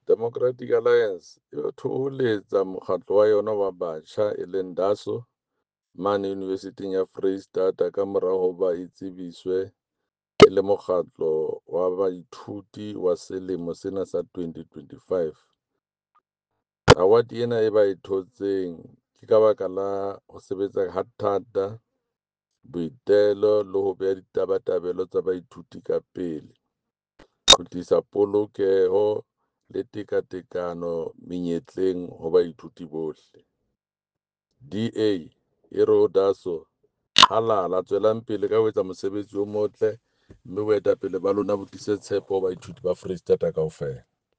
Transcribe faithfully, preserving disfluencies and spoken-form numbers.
Democratic Alliance e thoholetsa mokgatlo wa yona wa batjha e leng DASO mane Univesithing ya Foreisetata kamora hoba e tsebiswe e le Mokgatlo wa Baithuti wa Selemo sena sa twenty twenty-five. Awate ena e ba e thotseng ke ka baka la ho sebetsa ha thata, boitelo le ho beha ditabatabelo tsa baithuti ka pele, ho tlisa polokeho le tekatekano menyetleng ho baithuti bohle. D A e re ho DASO, halala, tswelang pele ka ho etsa mosebetsi o motle mme boetapele ba lona bo tlise tshepo ho baithuti ba Foreisetata kaofela.